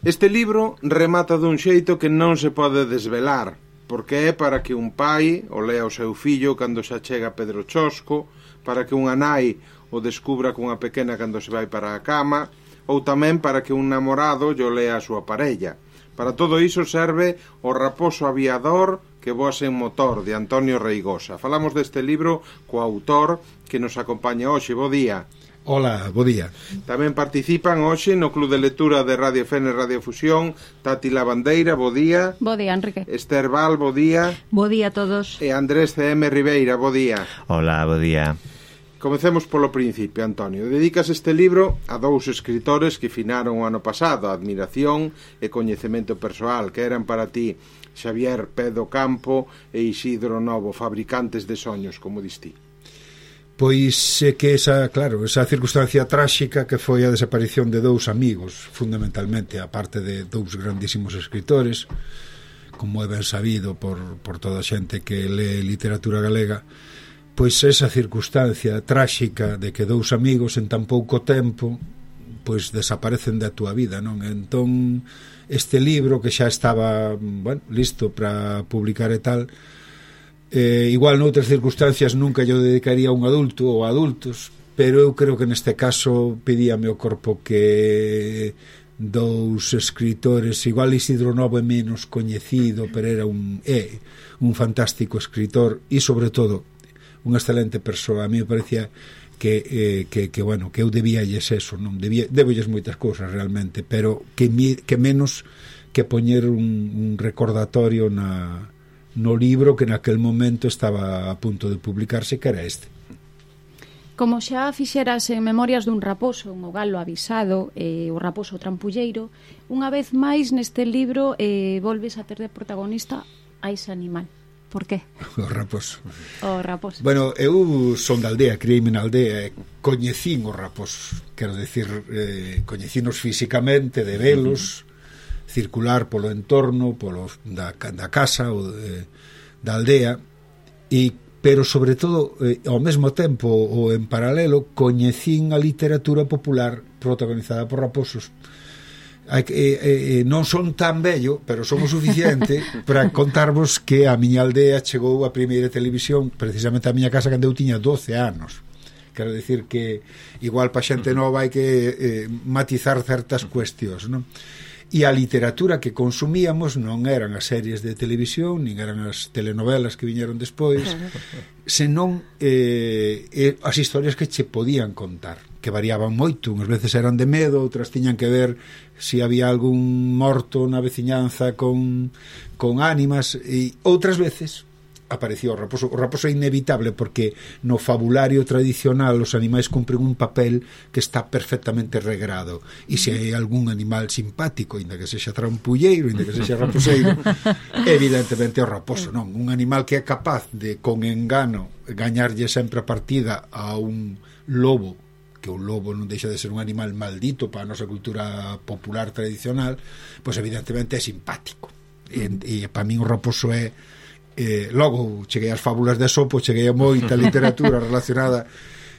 Este libro remata dun xeito que non se pode desvelar, porque é para que un pai o lea o seu fillo cando se achega Pedro Chosco, para que unha nai o descubra cunha pequena cando se vai para a cama, ou tamén para que un namorado yo lea a súa parella. Para todo iso serve O raposo aviador que voa sen motor, de Antonio Reigosa. Falamos deste libro co autor que nos acompaña hoxe. Bo día. Hola, bo día. Tamén participan hoxe no Club de Lectura de Radio Fene Radio Fusión Tati Lavandeira, bo día. Bo día, Enrique. Esther Val, bo día. Bo día a todos. E Andrés C.M. Ribeira, bo día. Hola, bo día. Comecemos polo principio, Antonio. Dedicas este libro a dous escritores que finaron o ano pasado, a admiración e coñecemento persoal, que eran para ti Xavier Pedo Campo e Isidro Novo, fabricantes de soños, como distí. Pois é que esa circunstancia tráxica que foi a desaparición de dous amigos, fundamentalmente, a parte de dous grandísimos escritores, como é ben sabido por toda a xente que lee literatura galega, pois esa circunstancia tráxica de que dous amigos en tan pouco tempo pois desaparecen da túa vida, non? Entón, este libro que xa estaba, listo para publicar e tal, igual noutras circunstancias nunca yo dedicaría a un adulto ou a adultos, pero eu creo que neste caso pedíame o corpo que dous escritores, igual Isidro Novo é menos coñecido, pero era un fantástico escritor e sobre todo unha excelente persoa. A mí me parecía que eu debíalles eso, non debólles moitas cousas realmente, pero que menos que poñer un recordatorio no libro que naquel momento estaba a punto de publicarse, que era este. Como xa fixeras en Memorias dun raposo, un galo avisado, o raposo trampulleiro, unha vez máis neste libro volves a ter de protagonista a ese animal. Por qué? O raposo. O raposo. Bueno, eu son da aldea, criei-me na aldea, coñecín os raposos, quero decir, coñecinos físicamente, de velos, circular polo entorno, da casa ou da aldea, pero sobre todo ao mesmo tempo ou en paralelo coñecín a literatura popular protagonizada por raposos. Non son tan bello, pero son o suficiente para contarvos que a miña aldea chegou a primeira televisión precisamente a miña casa cando eu tiña 12 anos. Quero decir que igual pa xente nova hai que matizar certas cuestións, non? E a literatura que consumíamos non eran as series de televisión, nin eran as telenovelas que viñeron despois, senón as historias que che podían contar, que variaban moito, unhas veces eran de medo, outras tiñan que ver se había algún morto na veciñanza con ánimas, e outras veces aparecía o raposo. O raposo é inevitable porque no fabulario tradicional os animais cumpren un papel que está perfectamente regrado, e se hai algún animal simpático, inda que sexa trampulleiro, inda que sexa raposeiro, evidentemente o raposo, non? Un animal que é capaz de, con engano, gañarlle sempre a partida a un lobo, que o lobo non deixa de ser un animal maldito para a nosa cultura popular tradicional, pois evidentemente é simpático, e para min o raposo é logo cheguei ás fábulas de Esopo, cheguei a moita literatura relacionada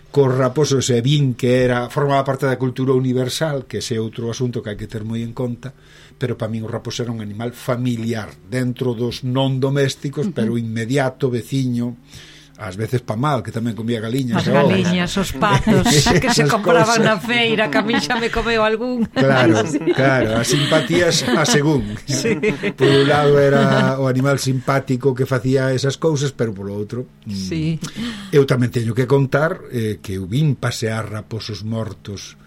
cos raposos e vin que formaba parte da cultura universal, que ese é outro asunto que hai que ter moi en conta, pero para min o raposo era un animal familiar dentro dos non domésticos, pero inmediato, veciño, ás veces pa mal, que tamén comía galiñas. As galiñas, os patos que se compraban na feira, que a mí xa me comeu algún. Claro, as simpatías a según. Sí. Por un lado era o animal simpático que facía esas cousas, pero polo outro sí. Eu tamén teño que contar que eu vin pasear raposos mortos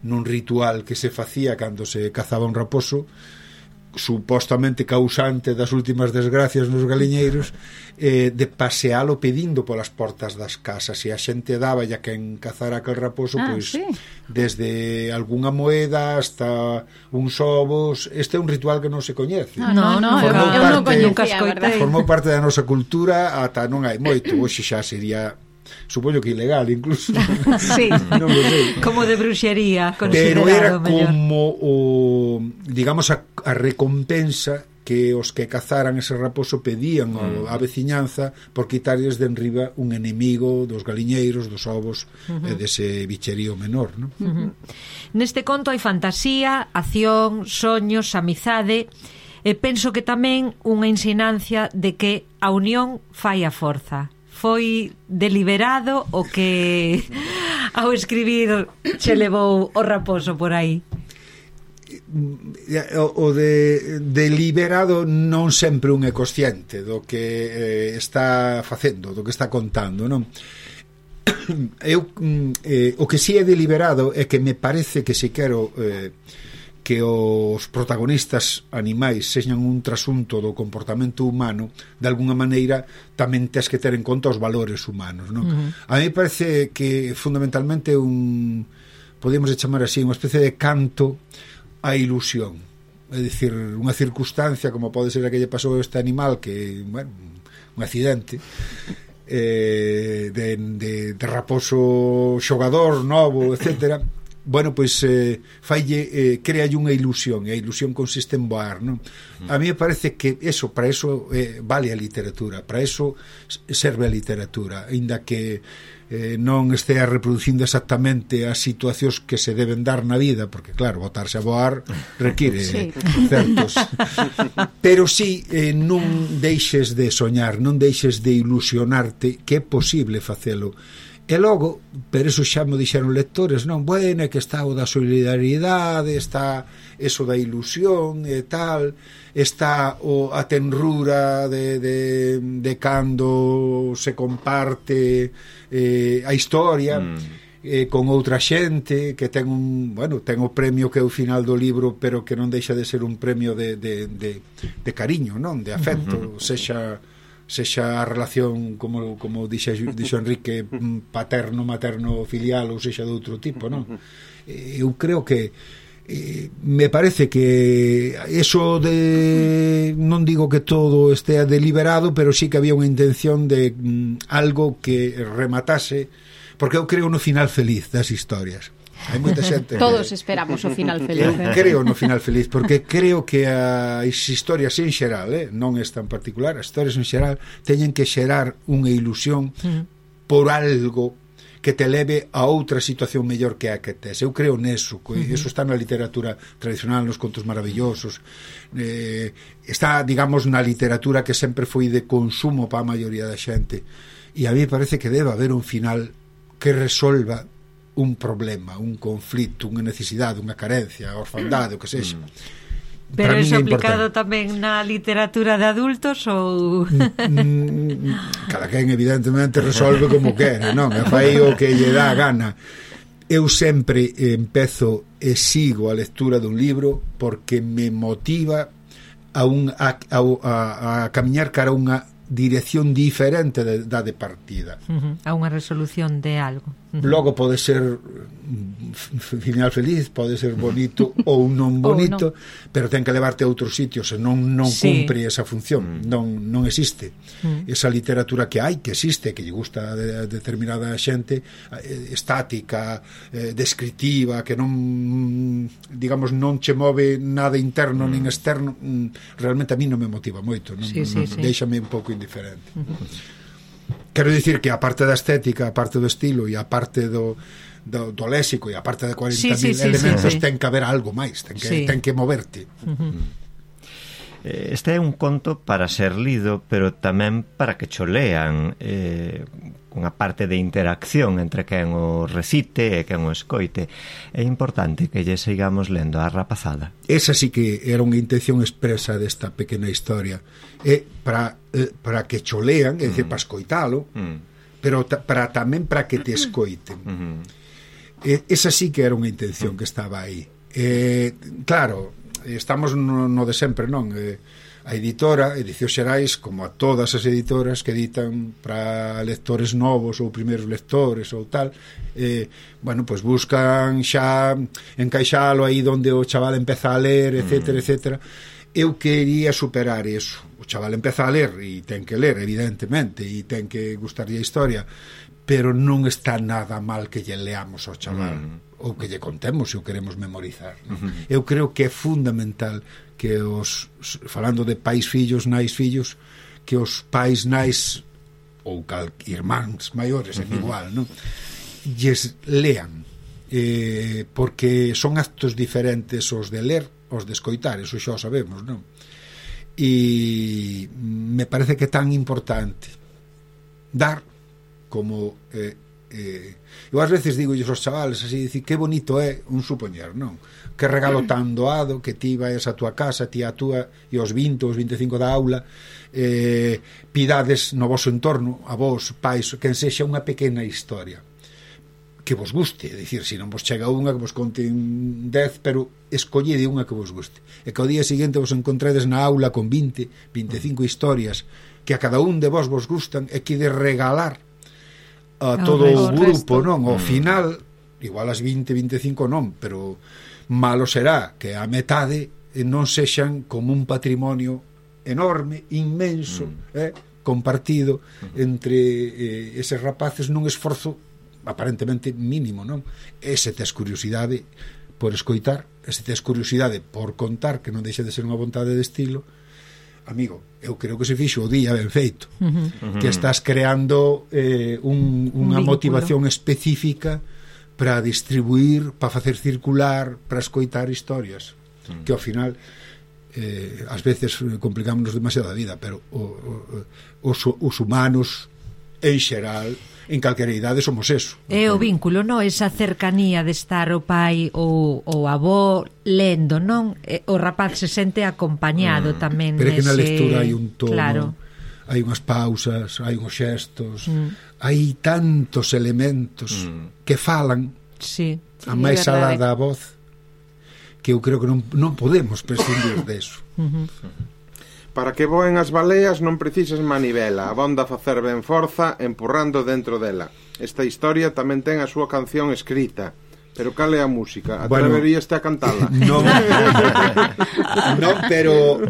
nun ritual que se facía cando se cazaba un raposo, supostamente causante das últimas desgracias nos galiñeiros, de pasealo pedindo polas portas das casas, e a xente daba ya quen cazara aquel raposo, pois sí, desde algunha moeda hasta uns ovos. Este é un ritual que non se coñece. Eu non coñecía, formou parte da nosa cultura ata non hai moito. Hoxe xa sería, supoño que ilegal incluso. Sí, non sei. Como de bruxería, pero era como o, digamos, a recompensa que os que cazaran ese raposo pedían á veciñanza por quitarles de enriba un enemigo dos galiñeiros, dos ovos e dese bicherío menor, non? Neste conto hai fantasía, acción, soños, amizade, e penso que tamén unha ensinancia de que a unión fai a forza. Foi deliberado o que ao escribir che levou o raposo por aí? O deliberado non sempre un é consciente do que está facendo, do que está contando, non? O que si é deliberado é que me parece que se quero que os protagonistas animais sexan un trasunto do comportamento humano, de alguna maneira tamén tes que ter en conta os valores humanos, non? A mí parece que fundamentalmente podemos chamar así, unha especie de canto a ilusión, é dicir, unha circunstancia como pode ser a que lle pasou a este animal que, bueno, un accidente de raposo xogador novo, etcétera. Bueno, pois créalle unha ilusión, e a ilusión consiste en voar, non? A mí me parece que para eso vale a literatura, para eso serve a literatura, aínda que non estea reproducindo exactamente as situacións que se deben dar na vida, porque claro, botarse a voar require certos, pero si non deixes de soñar, non deixes de ilusionarte, que é posible facelo. E logo, pero eso xa me dixeron lectores, non, bueno, é que está o da solidaridade, está eso da ilusión e tal, está a tenrura de cando se comparte a historia con outra xente que ten ten o premio que é o final do libro, pero que non deixa de ser un premio de cariño, non, de afecto, sexa a relación como dixo Enrique, paterno, materno, filial, ou sexa de outro tipo, non? Eu creo que me parece que eso non digo que todo estea deliberado, pero sí que había unha intención de algo que rematase, porque eu creo no final feliz das historias. Hai moita xente todos esperamos o final feliz. Eu creo no final feliz, porque creo que as historias en xeral, non esta en particular, as historias en xeral teñen que xerar unha ilusión por algo que te leve a outra situación mellor que a que tes. Eu creo neso, eso está na literatura tradicional, nos contos maravillosos, está, digamos, na literatura que sempre foi de consumo para a maioría da xente, e a mí parece que debe haber un final que resolva un problema, un conflito, unha necesidade, unha carencia, a orfandade, o que sexa. Pero é aplicado tamén na literatura de adultos ou... Cada quen evidentemente resolve como quera, non? E fai o que lle dá a gana. Eu sempre empezo e sigo a lectura dun libro porque me motiva a camiñar cara a unha dirección diferente da de partida, a unha resolución de algo. Logo pode ser final feliz, pode ser bonito ou non bonito, pero ten que levarte a outros sitios, e non cumpre esa función, non existe esa literatura que hai, que existe, que lle gusta a determinada xente, estática, descriptiva, que non, digamos, non che move nada interno nin externo. Realmente a mí non me motiva moito, déixame un pouco indiferente. Quero dicir que a parte da estética, a parte do estilo e a parte do léxico e a parte de 40.000 elementos ten que haber algo máis, ten que moverte. Este é un conto para ser lido, pero tamén para que cho lean, unha parte de interacción entre quen o recite e quen o escoite. É importante que lle sigamos lendo a rapazada. Esa sí que era unha intención expresa desta pequena historia, para que cho lean, é dicir, para escoitalo, pero tamén para que te escoiten. Esa sí que era unha intención que estaba aí. Claro, estamos no de sempre, non? A editora, Edicións Xerais, como a todas as editoras que editan para lectores novos ou primeiros lectores ou tal, bueno, pois buscan xa encaixalo aí onde o chaval empeza a ler, etcétera, etcétera. Eu quería superar eso. O chaval empeza a ler e ten que ler, evidentemente, e ten que gustarlle a historia, pero non está nada mal que lle leamos ao chaval. ou que lle contemos se o queremos memorizar, non? Eu creo que é fundamental que falando de pais fillos, nais fillos, que os pais nais ou irmáns maiores, é igual, non? Lles lean, porque son actos diferentes os de ler, os de escoitar, eso xa o sabemos, non? E me parece que é tan importante dar como eu ás veces digo aos chavales así, dicir, que bonito é un supoñer, non? Que regalo tan doado que ti vais a tua casa, ti a túa e os 20 ou os 25 da aula pidades no voso entorno a vos, pais, quen sexa unha pequena historia que vos guste, é dicir, se non vos chega unha que vos conte 10, pero escollede unha que vos guste e que ao día seguinte vos encontredes na aula con 20, 25 historias que a cada un de vos gustan e que de regalar a todo o grupo, non? Ao final, igual as 20, 25 non, pero malo será que a metade non sexan como un patrimonio enorme, inmenso, compartido entre eses rapaces nun esforzo aparentemente mínimo, non? E se tes curiosidade por escoitar, e se tes curiosidade por contar, que non deixa de ser unha vontade de estilo, amigo, eu creo que se fixo o día ben feito, que estás creando unha motivación específica para distribuir, para facer circular, para escoitar historias, que ao final ás veces complicámonos demasiado a vida, pero os humanos en xeral, en calquera idade somos eso. É o vínculo, non? Esa cercanía de estar o pai ou o avó lendo, non? O rapaz se sente acompañado tamén. Pero é que na lectura hai un tono, claro, hai unhas pausas, hai uns xestos, hai tantos elementos que falan a máis alá da voz, que eu creo que non podemos prescindir deso. Para que voen as baleas non precisas manivela, abonda facer ben forza empurrando dentro dela. Esta historia tamén ten a súa canción escrita, pero cal é a música? Atreveríaste a cantala? Non, pero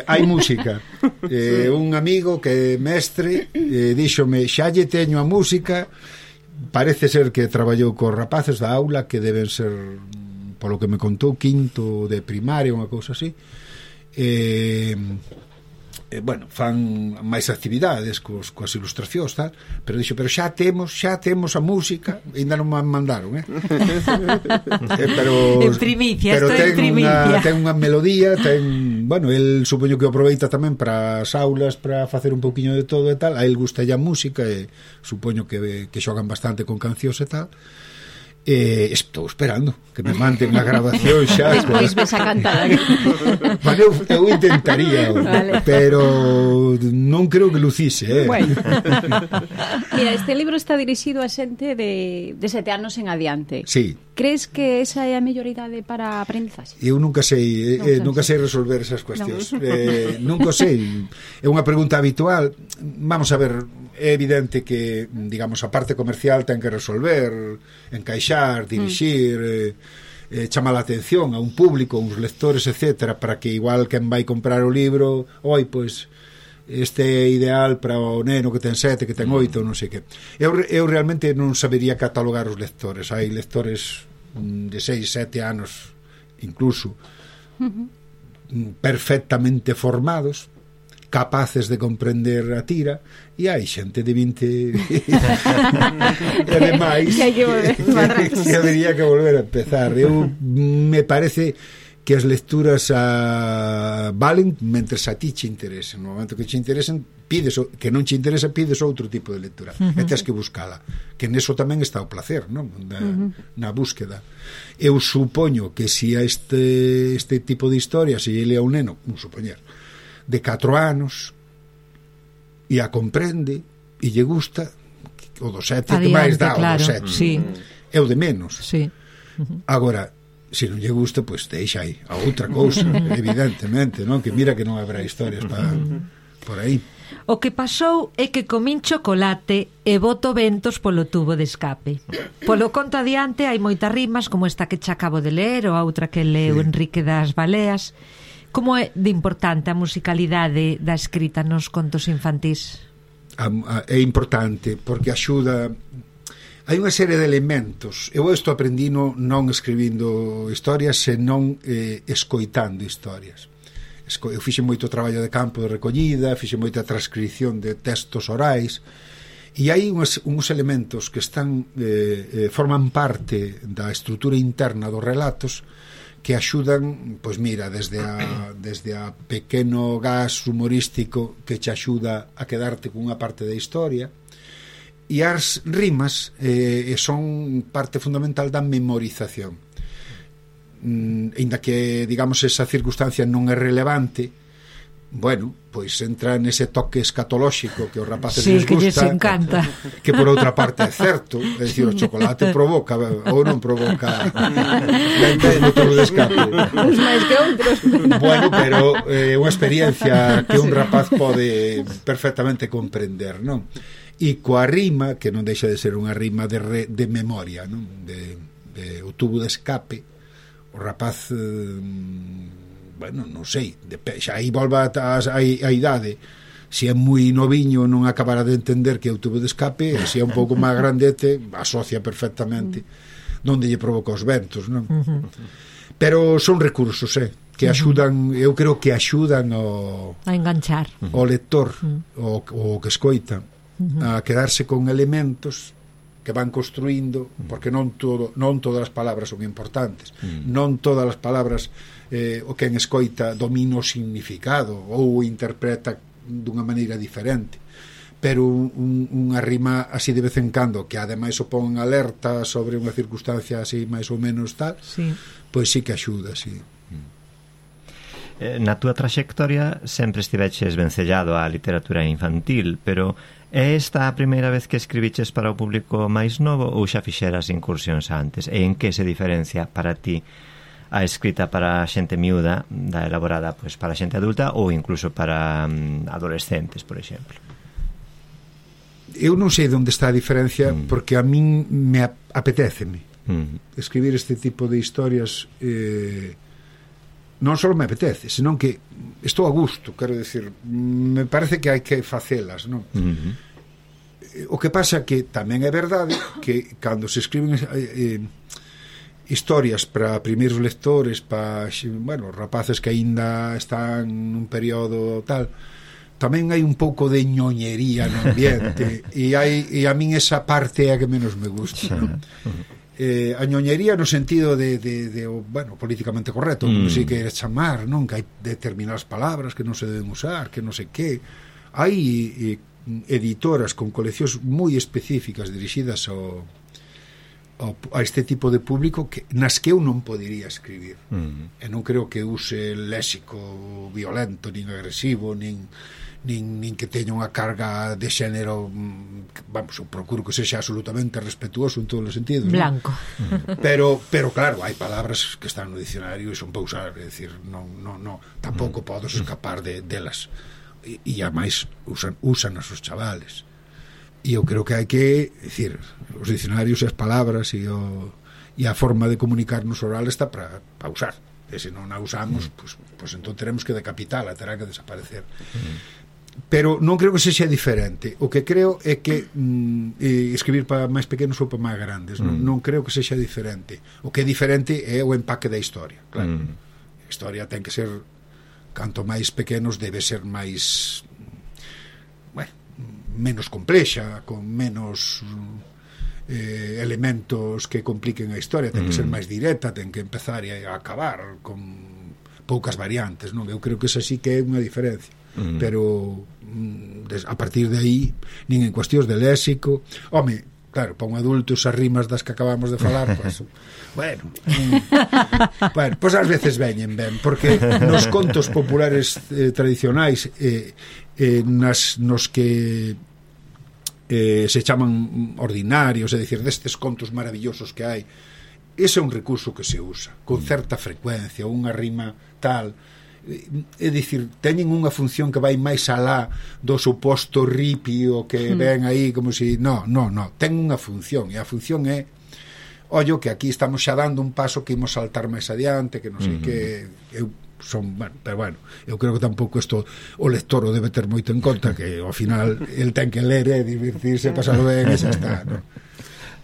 hai música. Un amigo que é mestre díxome, xa lle teño a música, parece ser que traballou cos rapaces da aula, que deben ser, polo que me contou, quinto de primaria, unha cousa así. Bueno, fan máis actividades coas ilustracións, tal, pero dixo, pero xa temos a música, ainda non me mandaron, pero en primicia, pero ten unha melodía, bueno, el supoño que aproveita tamén para as aulas, para facer un pouquiño de todo e tal, a el gusta a música e supoño que xogan bastante con cancións e tal. Estou esperando que me manden a grabación xa. Despois ves a cantar. Bueno, eu intentaría, vale, pero non creo que lucise, Bueno. Mira, este libro está dirixido a xente de 7 anos en adiante. Sí. Crees que esa é a mellor idade para a aprendizaxe? Eu nunca sei resolver esas cuestións. Nunca sei. É unha pregunta habitual. Vamos a ver, é evidente que, digamos, a parte comercial ten que resolver, encaixar, dirixir, chamar a atención a un público, uns lectores, etcétera, para que igual quen vai comprar o libro, pois este é ideal para o neno que ten 7, que ten 8, non sei que. Eu realmente non sabería catalogar os lectores. Hai lectores de 6, 7 anos incluso perfectamente formados, capaces de comprender a tira, e hai xente de 20 e ademais que habería que volver a empezar. Eu me parece que as lecturas valen mentres a ti che interesen. No momento que che interesen, pides, que non che interesa, pides outro tipo de lectura, e tens que buscala, que neso tamén está o placer, non? Na búsqueda. Eu supoño que se a este tipo de historia se lle lea a un neno, un supoñer, de 4 anos, e a comprende e lle gusta, o do 7 que máis dá, claro, o do 7 sí. É o de menos, sí. Agora, se non lle gusta, pois deixa aí a outra cousa, evidentemente, non? Que mira que non habrá historias por aí. O que pasou é que comín chocolate e boto ventos polo tubo de escape. Polo conto adiante hai moitas rimas, como esta que xa acabo de ler, ou a outra que leu Enrique das Baleas. Como é de importante a musicalidade da escrita nos contos infantís? É importante porque axuda hai unha serie de elementos. Eu isto aprendino non escribindo historias, senón escoitando historias. Eu fixe moito traballo de campo de recollida, fixe moita transcripción de textos orais, e hai uns elementos que están forman parte da estrutura interna dos relatos que axudan, pois mira, desde a pequeno gas humorístico que che axuda a quedarte cunha parte da historia, e as rimas son parte fundamental da memorización. Ainda que, digamos, esa circunstancia non é relevante, bueno, pois entra nese toque escatolóxico que os rapaces les gusta, que lles encanta, que por outra parte é certo, é dicir, o chocolate provoca ou non provoca o tubo de escape, uns máis que outros. Bueno, pero é unha experiencia que un rapaz pode perfectamente comprender, non? E coa rima, que non deixa de ser unha rima de memoria, non? De o tubo de escape, o rapaz bueno, non sei, xa aí volva a idade, se é moi noviño non acabará de entender que é o tubo de escape, e se é un pouco máis grandete asocia perfectamente onde lle provoca os ventos, non? Pero son recursos, que axudan, eu creo que axudan a enganchar o lector, o que escoita, a quedarse con elementos que van construindo, porque non todas as palabras son importantes, non todas as palabras o que en escoita domina o significado ou interpreta dunha maneira diferente, pero unha rima así de vez en cando, que ademais o pon en alerta sobre unha circunstancia así máis ou menos tal, pois sí que axuda, sí. Na túa traxectoria sempre estiveches vencellado á literatura infantil, pero é esta a primeira vez que escribiches para o público máis novo ou xa fixeras incursións antes? E en que se diferencia para ti a escrita para xente miúda da elaborada pois para xente adulta ou incluso para adolescentes, por exemplo? Eu non sei onde está a diferencia, porque a min me apetéceme escribir este tipo de historias, non só me apetece, senón que estou a gusto, quero decir, me parece que hai que facelas, non? O que pasa que tamén é verdade que cando se escriben historias para primeiros lectores, para, bueno, rapaces que aínda están nun período tal, tamén hai un pouco de ñoñería no ambiente, e a min esa parte é a que menos me gusta, non? A ñoñería no sentido de bueno, políticamente correcto, como se queira chamar, non? Que hai determinadas palabras que non se deben usar, que non sei que. Hai editoras con coleccións moi específicas dirixidas a este tipo de público nas que eu non podería escribir, e non creo que use léxico violento, nin agresivo, nin que teña unha carga de xénero, vamos, eu procuro que sexa absolutamente respetuoso en todos os sentidos, blanco, ¿no? pero claro, hai palabras que están no dicionario e son para usar, é dicir, non, tampouco podes escapar delas, e ademais usan os chavales, e eu creo que hai que, decir, os dicionarios e as palabras e a forma de comunicarnos oral está para usar, e se non a usamos, pues entón teremos que decapitala, terá que desaparecer. Pero non creo que sexa diferente. O que creo é que escribir para máis pequenos ou para máis grandes, non creo que sexa diferente. O que é diferente é o empaque da historia, claro. A historia ten que ser, canto máis pequenos debe ser máis, bueno, menos complexa, con menos elementos que compliquen a historia, ten que ser máis directa, ten que empezar e acabar con poucas variantes, non? Eu creo que esa sí que é unha diferencia. Pero a partir de aí, nin en cuestións de léxico, home, claro, para un adulto esas rimas das que acabamos de falar, pues, bueno, pues ás veces veñen ben, porque nos contos populares tradicionais, nos que se chaman ordinarios, é dicir, destes contos maravillosos que hai, ese é un recurso que se usa con certa frecuencia, unha rima tal, é dicir, teñen unha función que vai máis alá do suposto ripio que ven aí como si, no, ten unha función, e a función é, ollo, que aquí estamos xa dando un paso que imos saltar máis adiante, que non sei que pero bueno, eu creo que tampouco isto o lector o debe ter moito en conta, que ao final el ten que ler e divertirse, pasarlo ben e xa está, non?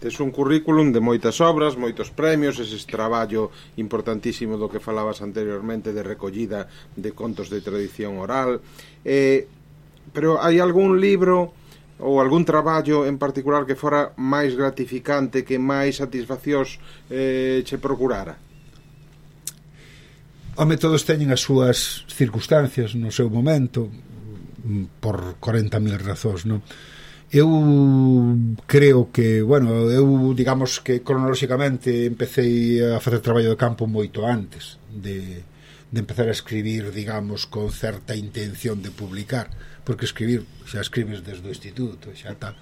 Tes un currículum de moitas obras, moitos premios, ese traballo importantísimo do que falabas anteriormente de recollida de contos de tradición oral, pero hai algún libro ou algún traballo en particular que fora máis gratificante, que máis satisfaccións che procurara? Home, todos teñen as súas circunstancias no seu momento, por 40.000 razóns, non? Eu creo que, bueno, eu digamos que cronolóxicamente empecé a facer traballo de campo moito antes de empezar a escribir, digamos, con certa intención de publicar, porque escribir, xa escribes desde o instituto, xa tal.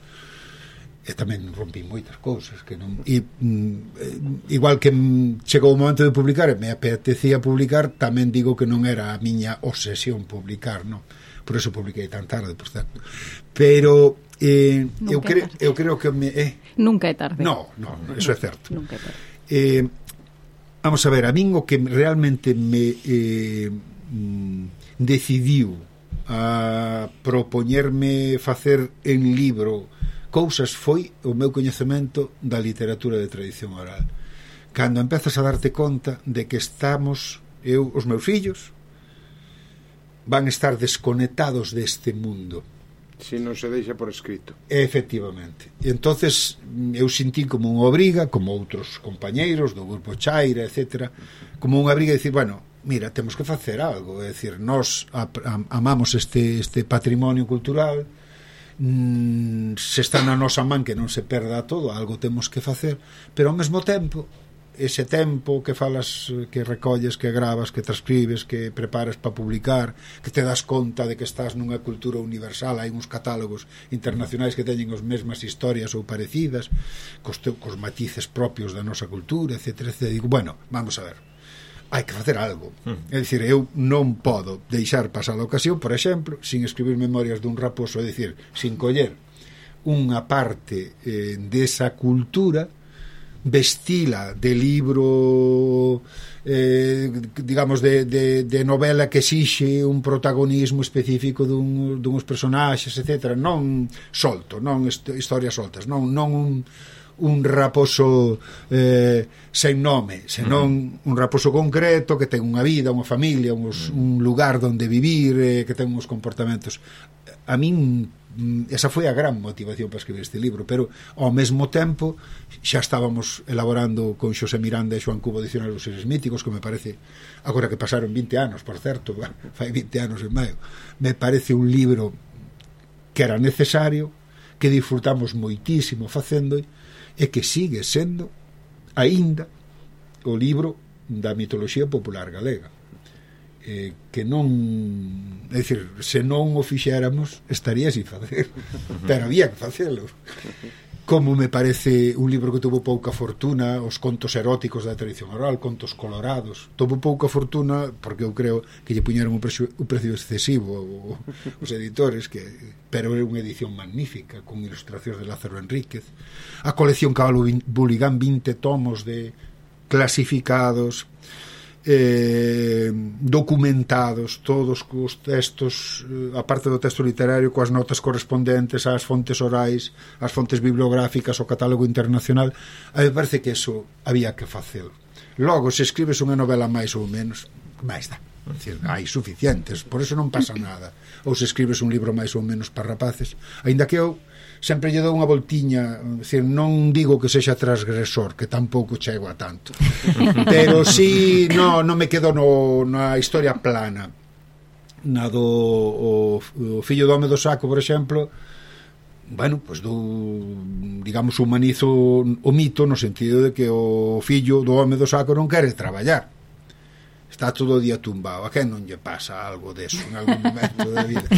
E tamén rompí moitas cousas que non... E, igual que chegou o momento de publicar e me apetecía publicar, tamén digo que non era a miña obsesión publicar, non? Por eso publiquei tan tarde, por certo. Pero eu creo que nunca é tarde. No, eso é certo. Nunca é tarde. Vamos a ver, a min o que realmente me decidiu a propoñerme facer en libro cousas foi o meu coñecemento da literatura de tradición oral. Cando empezas a darte conta de que estamos, os meus fillos van estar desconectados deste mundo se non se deixa por escrito. Efectivamente. E entonces eu sentí como unha obriga, como outros compañeiros do grupo Chaira, etc., como unha obriga de decir, bueno, mira, temos que facer algo, é dicir, nós amamos este patrimonio cultural, se está na nosa man que non se perda todo, algo temos que facer, pero ao mesmo tempo ese tempo que falas, que recolles, que gravas, que transcribes, que preparas para publicar, que te das conta de que estás nunha cultura universal, hai uns catálogos internacionais que teñen as mesmas historias ou parecidas, cos matices propios da nosa cultura, etc. Digo, bueno, vamos a ver, hai que facer algo. É dicir, eu non podo deixar pasar a ocasión, por exemplo, sin escribir memorias dun raposo, é dicir, sin coller unha parte desa cultura, vestila de libro digamos de novela que exixe un protagonismo específico duns personaxes, etc. Non solto, non historias soltas, non un raposo sen nome, senón un raposo concreto que ten unha vida, unha familia, un lugar onde vivir, que ten uns comportamentos. A min esa foi a gran motivación para escribir este libro, pero ao mesmo tempo xa estábamos elaborando con Xosé Miranda e Xoán Cubo Dicionario dos Seres Míticos, que me parece, agora que pasaron 20 anos, por certo, fai 20 anos en maio, me parece un libro que era necesario, que disfrutamos moitísimo facendo e que sigue sendo aínda o libro da mitoloxía popular galega, que non, é dicir, se non o fixéramos estaría sin facer, pero había que facelo. Como me parece un libro que tuvo pouca fortuna, os contos eróticos da tradición oral, contos colorados, tuvo pouca fortuna porque eu creo que lle puñeron un precio excesivo os editores, pero é unha edición magnífica con ilustracións de Lázaro Enríquez, a colección Cabalo Buligán, 20 tomos de clasificados, documentados, todos cos textos, aparte do texto literario, coas notas correspondentes ás fontes orais, ás fontes bibliográficas, ao catálogo internacional. A mí me parece que eso había que facelo. Logo, se escribes unha novela máis ou menos, máis dá, hai suficientes, por eso non pasa nada. Ou se escribes un libro máis ou menos para rapaces, aínda que eu sempre lle dou unha voltiña, decir, non digo que sexa transgresor, que tampouco chego a tanto, pero si non me quedo na historia plana. Na do o fillo do home do saco, por exemplo, bueno, pois digamos, humanizo o mito no sentido de que o fillo do home do saco non quere traballar, está todo o día tumbado. A quen non lle pasa algo deso en algún momento da vida?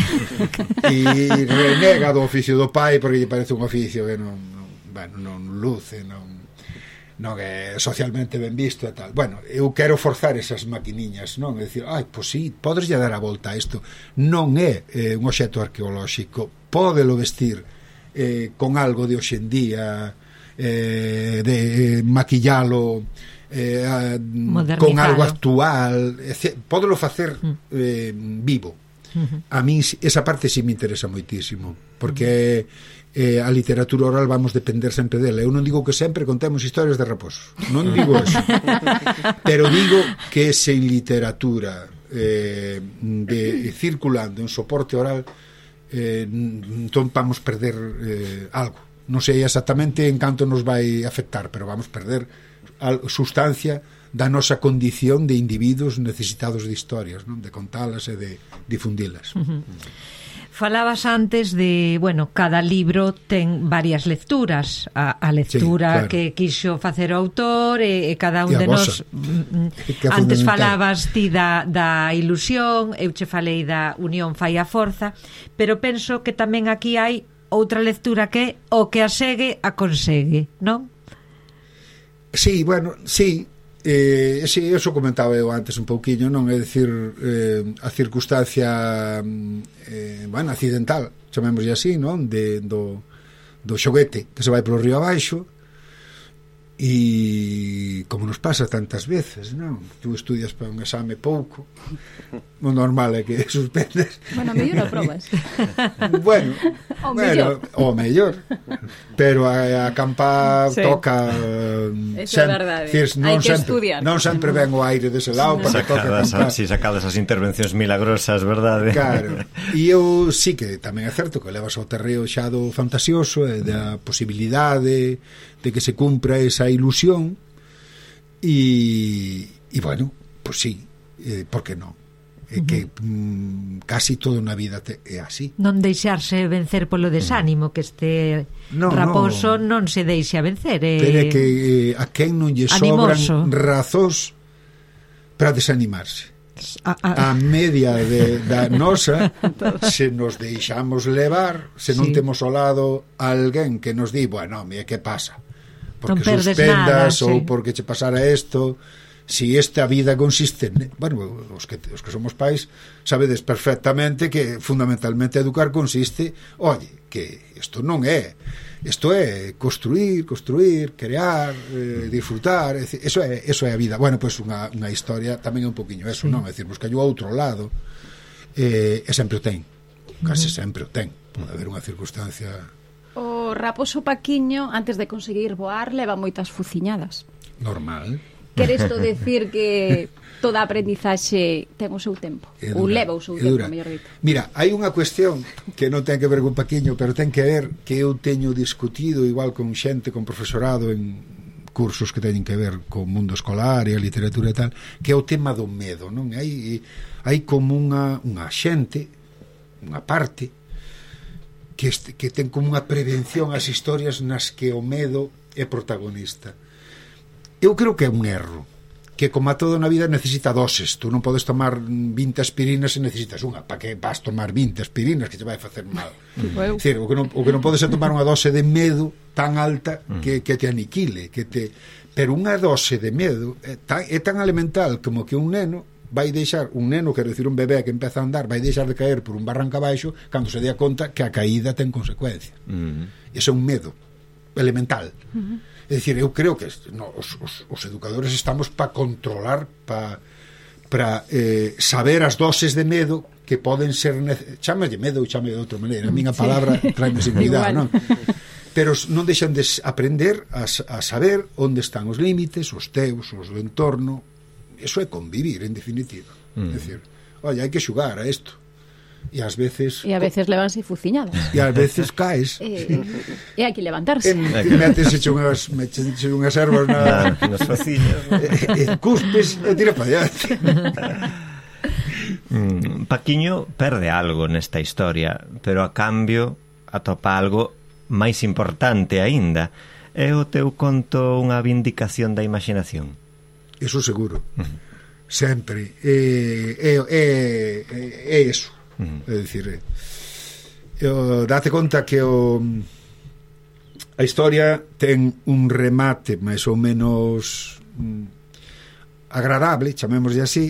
E renega do oficio do pai porque lle parece un oficio que non luce, non é socialmente ben visto e tal. Bueno, eu quero forzar esas maquiniñas, non? É dicir, pois sí, podes lle dar a volta a isto. Non é un obxecto arqueolóxico, pódelo vestir con algo de hoxendía, de maquillalo con algo actual, pódelo facer vivo. A mí esa parte sí me interesa moitísimo, porque a literatura oral vamos depender sempre dela. Eu non digo que sempre contemos historias de raposos, non digo eso, pero digo que sen literatura circulando en soporte oral, entón vamos perder algo. Non sei exactamente en canto nos vai afectar, pero vamos perder sustancia da nosa condición de individuos necesitados de historias, non? De contalas e de difundilas. Falabas antes de, cada libro ten varias lecturas, a lectura, sí, claro, que quixo facer o autor, e cada un de nós antes falabas ti da ilusión, eu che falei da unión fai a forza, pero penso que tamén aquí hai outra lectura que o que a segue a consegue, non? Sí, sí. Sí, eso comentaba eu antes un pouquiño, non? É dicir, a circunstancia accidental, chamémoslle así, non? Do xoguete que se vai polo río abaixo, e como nos pasa tantas veces, non? Tú estudias para un exame pouco, o normal é que suspendes. Mellor o probas. O mellor. Pero a campa sí, toca eso é verdade. Hai que estudiar. Non sempre ven o aire dese lado para toca campar. Si sacadas as intervencións milagrosas, verdade? Claro. E eu sí que tamén é certo que levas ao terreo xa do fantasioso e da posibilidade de que se cumpra esa ilusión e pues sí, por que non? É que casi toda unha vida é así. Non deixarse vencer polo desánimo, que este raposo non se deixa vencer. Pero é que a quen non lle sobran razóns para desanimarse. A media da nosa, se nos deixamos levar, se non temos ao lado alguén que nos di, que pasa? Porque suspendas ou porque che pasara isto. Si esta vida consiste os que somos pais sabedes perfectamente que fundamentalmente educar consiste, que isto non é, isto é construir, crear, disfrutar, eso é a vida. Pois unha historia tamén é un poquinho eso, non? É dicir, busca o outro lado, e sempre o ten, case sempre o ten. Pode haber unha circunstancia. O raposo Paquiño, antes de conseguir voar, leva moitas fuciñadas. Normal. Quer isto decir que toda aprendizaxe ten o seu tempo? Ou leva o seu tempo, mellor dito? Mira, hai unha cuestión que non ten que ver con Paquiño, pero ten que ver que eu teño discutido igual con xente, con profesorado en cursos que teñen que ver con o mundo escolar e a literatura e tal, que é o tema do medo, non? Hai como unha xente, unha parte que ten como unha prevención ás historias nas que o medo é protagonista. Eu creo que é un erro, que como a todo na vida necesita doses. Tú non podes tomar 20 aspirinas se necesitas unha. Para que vas tomar 20 aspirinas que te vai facer mal? É dicir, o que non podes é tomar unha dose de medo tan alta que te aniquile, pero unha dose de medo é tan elemental como que un neno quero dicir un bebé que empeza a andar, vai deixar de caer por un barranco abaixo cando se dea conta que a caída ten consecuencia. Ese é un medo elemental. É dicir, eu creo que os educadores estamos para controlar, para saber as doses de medo que poden ser chámelle medo ou chámelle de outra maneira. A miña palabra traime sin cuidado, non? Pero non deixan de aprender a saber onde están os límites, os teus, os do entorno. Eso é convivir, en definitiva. É dicir, hai que xugar a isto. E ás veces levanse fuciñadas. E ás veces caes. E hai que levantarse. Metes unhas ervas nas faciñas. Cuspes e tira para allá. Paquiño perde algo nesta historia, pero a cambio atopa algo máis importante aínda. É o teu conto unha vindicación da imaginación? Eso seguro. Sempre. É eso. É dicir, date conta que a historia ten un remate máis ou menos agradable, chamémoslle así,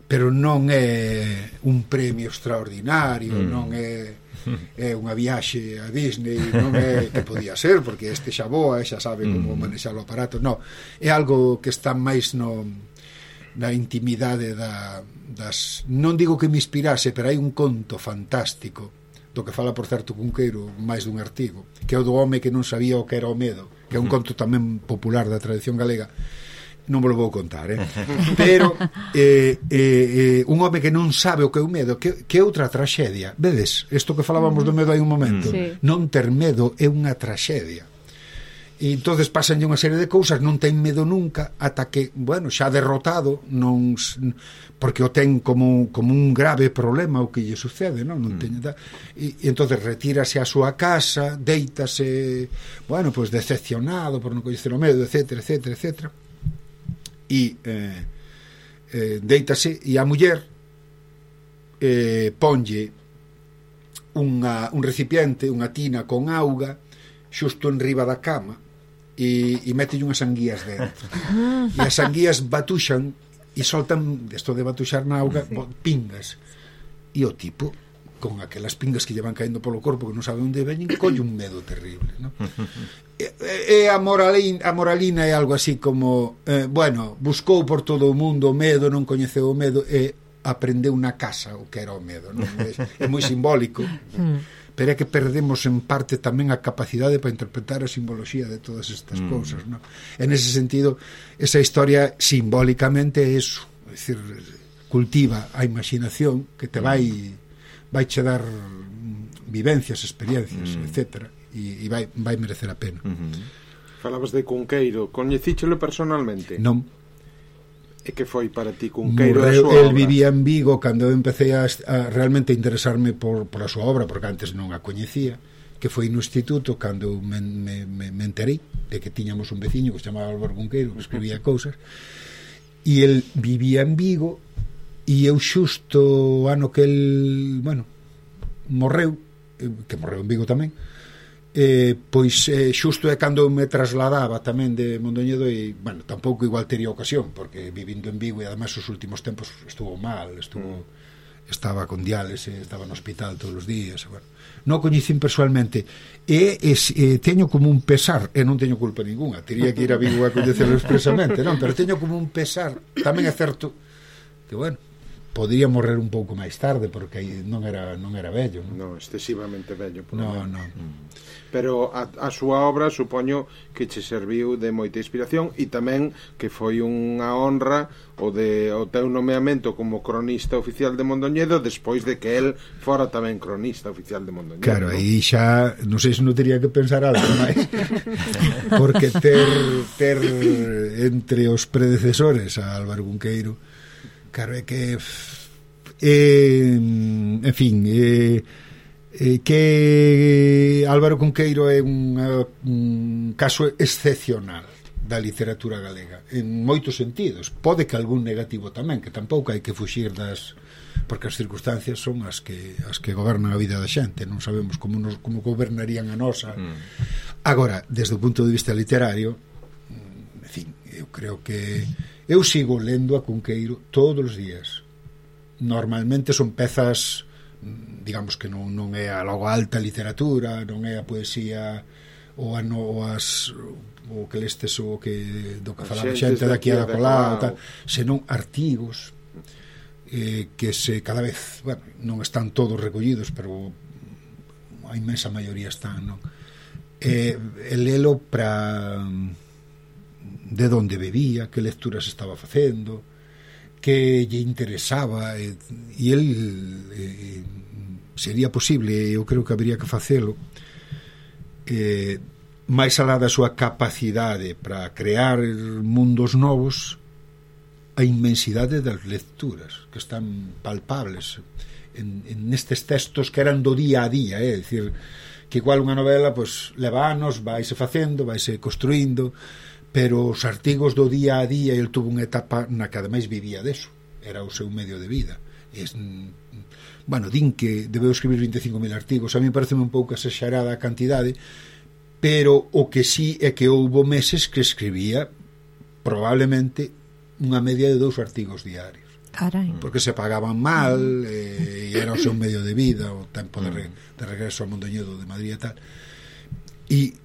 pero non é un premio extraordinario, non é unha viaxe a Disney, non é que podía ser, porque este xa voa, xa sabe como manexar o aparato, non, é algo que está máis na intimidade das... Non digo que me inspirase, pero hai un conto fantástico do que fala, por certo, Cunqueiro máis dun artigo, que é o do home que non sabía o que era o medo, que é un conto tamén popular da tradición galega. Non vos lo vou contar, pero un home que non sabe o que é o medo, que é outra traxedia. Vedes, isto que falábamos do medo hai un momento, non ter medo é unha traxedia. E entonces pasanlle unha serie de cousas, non ten medo nunca, ata que, bueno, xa derrotado, non, porque o ten como un grave problema o que lle sucede, non ten, e entonces retírase a súa casa, deítase, bueno, pues decepcionado por non coñecer o medo, etcétera, etcétera, etcétera, e deítase, e a muller ponlle un recipiente, unha tina con auga xusto en riba da cama, e metelle unhas anguías dentro, e as anguías batuxan e soltan, isto de batuxar na auga, pingas, e o tipo con aquelas pingas que lle van caendo polo corpo que non sabe onde veñen, colle un medo terrible, non? E a moralina é algo así como bueno, buscou por todo o mundo o medo, non coñeceu o medo e aprendeu na casa o que era o medo, non? É moi simbólico, pero é que perdemos en parte tamén a capacidade para interpretar a simboloxía de todas estas cousas, non? En ese sentido, esa historia simbólicamente é eso, é dicir, cultiva a imaginación que te vai che dar vivencias, experiencias, etcétera, e vai merecer a pena. Falabas de Cunqueiro, coñecíchelo personalmente? Non. E que foi para ti Cunqueiro a súa obra? El obra? vivía en Vigo cando eu empecé a realmente interesarme por a súa obra, porque antes non a coñecía, que foi no instituto cando me enterei de que tiñamos un veciño que se chamaba Álvaro Cunqueiro, que escribía cousas, e el vivía en Vigo, e eu xusto o ano que el, bueno, morreu, que morreu en Vigo tamén, pois xusto é cando me trasladaba tamén de Mondoñedo, e, bueno, tampouco igual tería ocasión, porque vivindo en Vigo, e además os últimos tempos estuvo mal, estaba con diálise, estaba no hospital todos os días, bueno, non coñecín personalmente, e teño como un pesar, e non teño culpa ninguna, teria que ir a Vigo a coñecelo expresamente, non, pero teño como un pesar, tamén é certo que, bueno, podría morrer un pouco máis tarde, porque non era vello, non, excesivamente vello, non. Pero a súa obra supoño que che serviu de moita inspiración, e tamén que foi unha honra o teu nomeamento como cronista oficial de Mondoñedo despois de que el fora tamén cronista oficial de Mondoñedo. Claro, aí xa non sei se non teria que pensar algo máis, porque ter entre os predecesores a Álvaro Cunqueiro, claro, é que en fin, que Álvaro Cunqueiro é un caso excepcional da literatura galega en moitos sentidos, pode que algún negativo tamén, que tampouco hai que fuxir das, porque as circunstancias son as que gobernan a vida da xente, non sabemos como gobernarían a nosa. Agora, desde o punto de vista literario, en fin, eu creo que eu sigo lendo a Cunqueiro todos os días. Normalmente son pezas, digamos que non é a logo alta literatura, non é a poesía o que lestes o que do que falaba xente daqui a colá, senón artigos que cada vez, bueno, non están todos recollidos, pero a inmensa maioría están, non? El lelo para de onde bebía, que lecturas estaba facendo, que lle interesaba, e el sería posible, eu creo que habería que facelo, máis alá da súa capacidade para crear mundos novos, a inmensidade das lecturas que están palpables en estes textos que eran do día a día, é dicir, que igual unha novela pois leva anos, vaise facendo, vaise construindo, pero os artigos do día a día, el tuvo unha etapa na que ademais vivía deso, era o seu medio de vida. Bueno, din que debeu escribir 25.000 artigos, a mí parece un pouco exagerada a cantidade, pero o que sí é que houbo meses que escribía probablemente unha media de 2 artigos diarios. Carai. Porque se pagaban mal, e era o seu medio de vida, o tempo de regreso a Mondoñedo de Madrid e tal, e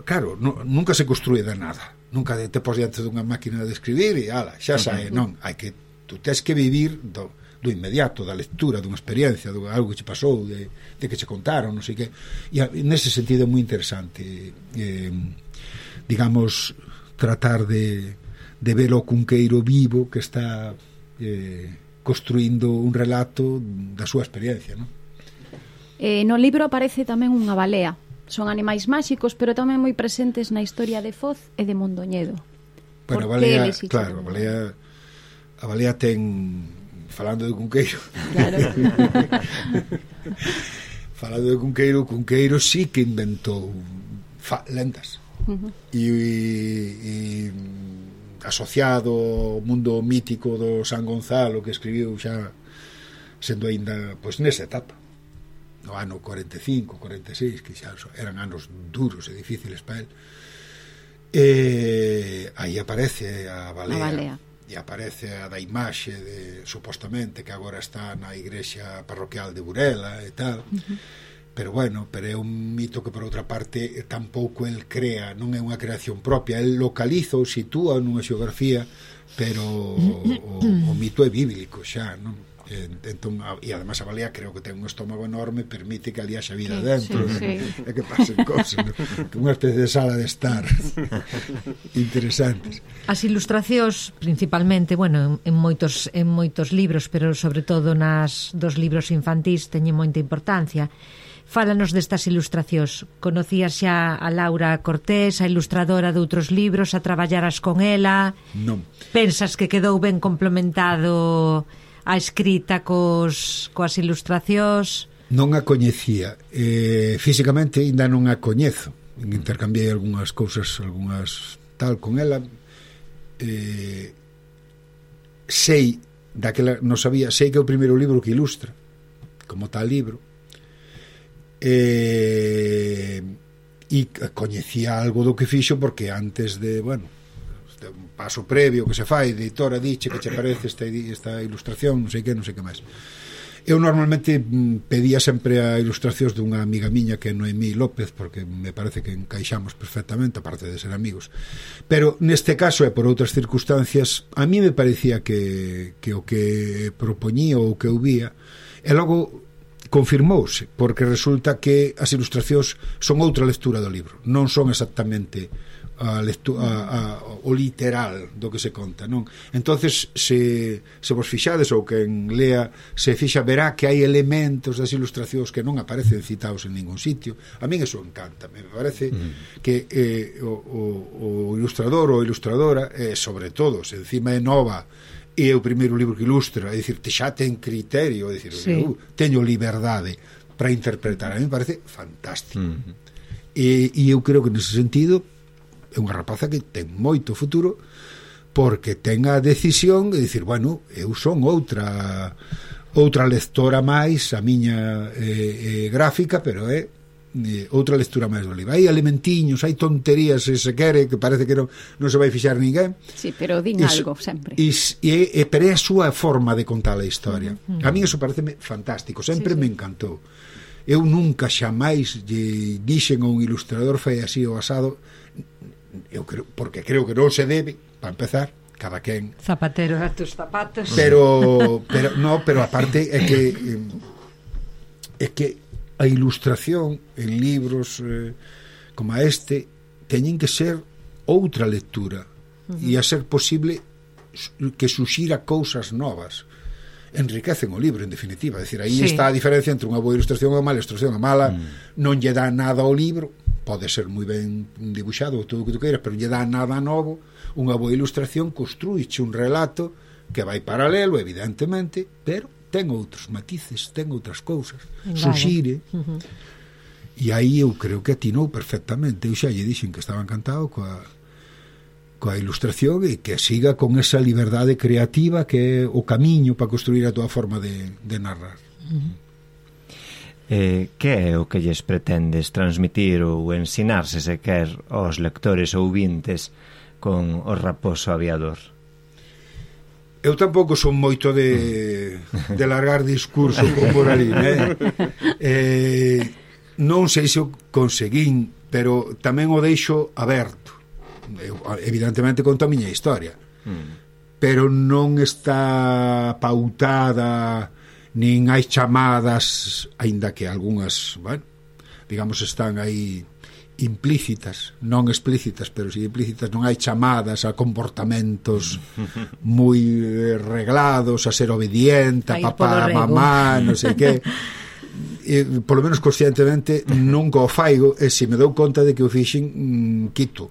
claro, nunca se construe de nada, nunca te pos diante dunha máquina de escribir e ala, xa sae, non, hai que tú tes que vivir do inmediato, da lectura, dunha experiencia, de algo que che pasou, de que che contaron, non sei que, e nese sentido é moi interesante, digamos, tratar de ver o cunqueiro vivo que está construindo un relato da súa experiencia, non? No libro aparece tamén unha balea. Son animais máxicos, pero tamén moi presentes na historia de Foz e de Mondoñedo. Bueno, a balea, claro, a balea ten, falando de cunqueiro, claro. Falando de Cunqueiro sí que inventou lendas. E asociado ao mundo mítico do San Gonzalo, que escribiu xa sendo aínda pois nesa etapa, no ano 45, 46, que xa eran anos duros e difíciles para él. Aí aparece a balea. E aparece a da imaxe de, supostamente, que agora está na igrexa parroquial de Burela e tal. Pero bueno, pero é un mito que por outra parte tampouco el crea, non é unha creación propia, el localiza ou sitúa nunha xeografía, pero o mito é bíblico xa, non? Entón, e además a balea creo que ten un estómago enorme, permite que ali haxa vida dentro, e que pasen cosas, ¿no? Unha especie de sala de estar interesantes. As ilustracións principalmente, bueno, en moitos libros, pero sobre todo dos libros infantís teñen moita importancia. Fálanos destas ilustracións. Conocías xa a Laura Cortés, a ilustradora de outros libros, a traballaras con ela? Non. Pensas que quedou ben complementado a escrita coas ilustracións? Non a coñecía, físicamente ainda non a coñezo, intercambiei algunhas cousas, algunhas tal con ela, sei daquela, non sabía, sei que é o primeiro libro que ilustra como tal libro, e coñecía algo do que fixo porque antes de, bueno, un paso previo que se fai, de editora diche que che parece esta ilustración, non sei que máis. Eu normalmente pedía sempre a ilustracións dunha amiga miña que é Noemí López, porque me parece que encaixamos perfectamente, aparte de ser amigos, pero neste caso e por outras circunstancias a mí me parecía que o que propoñía ou que eu vía, e logo confirmouse, porque resulta que as ilustracións son outra lectura do libro, non son exactamente o literal do que se conta, non? Entonces se vos fixades ou quen lea se fixa, verá que hai elementos das ilustracións que non aparecen citados en ningún sitio. A min eso encanta, me parece que o ilustrador ou ilustradora, sobre todo se encima é nova e é o primeiro libro que ilustra, é dicir, xa ten criterio, é dicir, teño liberdade para interpretar, a mí me parece fantástico. E eu creo que nese sentido é unha rapaza que ten moito futuro, porque ten a decisión de dicir, bueno, eu son outra lectora máis, a miña gráfica, pero é outra lectura máis do libro. Hai elementiños, hai tonterías, se quere, que parece que non se vai fixar ninguén. Sí, pero din algo sempre. Pero é a súa forma de contar a historia. A mí eso pareceme fantástico, sempre me encantou. Eu nunca xamais dixen a un ilustrador fai así o asado, eu creo, porque creo que non se debe, para empezar, cada quen zapatero a tus zapatos, pero aparte é que a ilustración en libros como este teñen que ser outra lectura e a ser posible que suxira cousas novas, enriquecen o libro, en definitiva. É dicir, aí está a diferencia entre unha boa ilustración e unha mala ilustración. A mala non lle dá nada ao libro, pode ser moi ben dibuixado, todo o que tu queiras, pero non lle dá nada novo. Unha boa ilustración construíche un relato que vai paralelo, evidentemente, pero ten outros matices, ten outras cousas, suxire. E aí eu creo que atinou perfectamente. Eu xa lle dixen que estaba encantado coa ilustración e que siga con esa liberdade creativa que é o camiño para construir a túa forma de narrar. Que é o que lles pretendes transmitir ou ensinarse, se quer, aos lectores ou vintes con O Raposo Aviador? Eu tampouco son moito de largar discurso por ali, non sei se o conseguín, pero tamén o deixo aberto. evidentemente conto a miña historia, pero non está pautada, nin hai chamadas, aínda que algunhas, bueno, digamos, están aí implícitas, non explícitas, pero si implícitas, non hai chamadas a comportamentos moi reglados, a ser obediente, a papá, a mamá, non sei que. Polo menos conscientemente nunca o faigo, e se me dou conta de que o fixen, quito,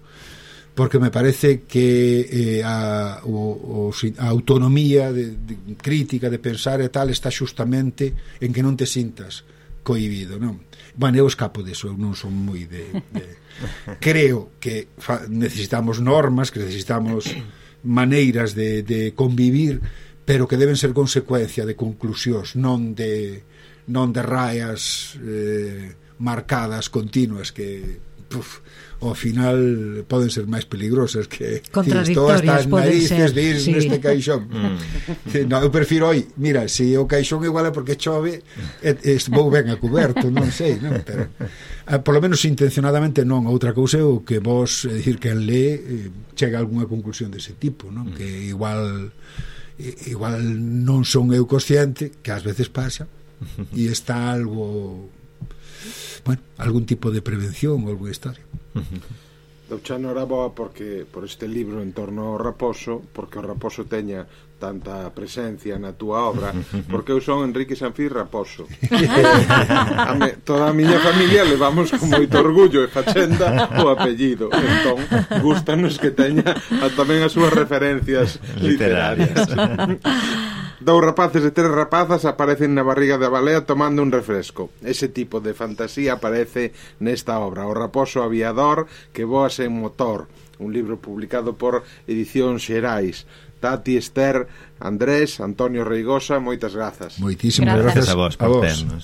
porque me parece que a autonomía de crítica, de pensar e tal, está xustamente en que non te sintas cohibido, non? Bueno, eu escapo deso, eu non son moi de... Creo que necesitamos normas, que necesitamos maneiras de convivir, pero que deben ser consecuencia de conclusións, non de raias marcadas, continuas, que ao final poden ser máis peligrosas que contradictorias poden ser, sí, neste caixón. No, eu prefiro hoy, mira, se o caixón igual é porque chove, vou ben a cuberto, non sei, non? Pero polo menos intencionadamente non. Outra cousa é o que vos, é dicir, que lé chega a algunha conclusión dese tipo, non? Que igual non son eu consciente, que ás veces pasa, e está algo, bueno, algún tipo de prevención ou alguna historia. Doucha noraboa porque por este libro en torno ao raposo, porque o raposo teña tanta presencia na túa obra, porque eu son Enrique Sanfís Raposo. Toda a miña familia levamos con moito orgullo e fachenda o apellido, entón gústanos que teña tamén as súas referencias literarias. Dous rapaces e tres rapazas aparecen na barriga da balea tomando un refresco. Ese tipo de fantasía aparece nesta obra, O raposo aviador que voa sen motor, un libro publicado por Edicións Xerais. Tati, Esther, Andrés, Antonio Reigosa, moitas grazas. Moitísimas grazas a vos por ternos.